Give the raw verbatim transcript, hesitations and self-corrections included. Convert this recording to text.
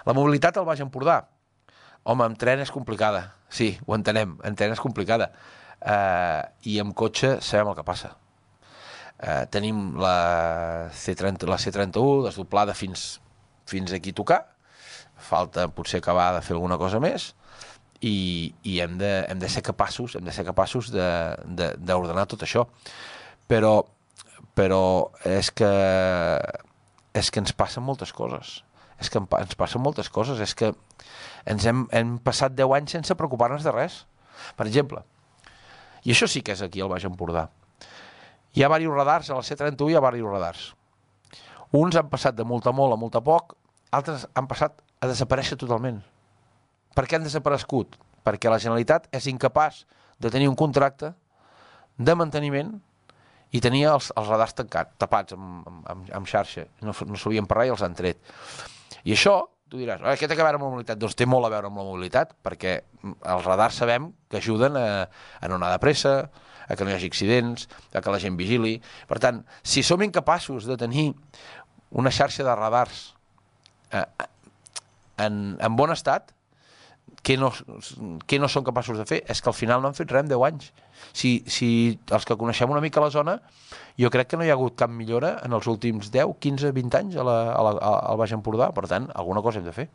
La mobilitat al Baix Empordà. Home, amb tren és complicada. Sí, ho entenem, en tren és complicada. Uh, I amb cotxe sabem el que passa. Uh, tenim la C trenta, la C trenta-u desdoblada fins, fins aquí a tocar. Falta potser acabar de fer alguna cosa més i, i hem, de, hem de ser capaços hem de ser capaços d'ordenar tot això. Però, però és que és que ens passen moltes coses. És que ens passen moltes coses. És que ens hem, hem passat deu anys sense preocupar-nos de res. Per exemple, i això sí que és aquí al Baix Empordà. Hi ha diversos radars, a la C trenta-u hi ha diversos radars. Uns han passat de molt a molt a molt a poc, altres han passat a desaparèixer totalment. Per què han desaparegut? Perquè la Generalitat és incapaç de tenir un contracte de manteniment i tenia els, els radars tancats, tapats amb, amb, amb xarxa. No, no sabien per res i els han tret. I això, tu diràs, eh, què té a veure amb la mobilitat? Doncs té molt a veure amb la mobilitat, perquè els radars sabem que ajuden a, a no anar de pressa, a que no hi hagi accidents, a que la gent vigili. Per tant, si som incapaços de tenir una xarxa de radars eh, en, en bon estat, què no, què no són capaços de fer? És que al final no han fet res en deu anys. Si, si els que coneixem una mica la zona, jo crec que no hi ha hagut cap millora en els últims deu, quinze, vint anys a la, a la, al Baix Empordà. Per tant, alguna cosa hem de fer.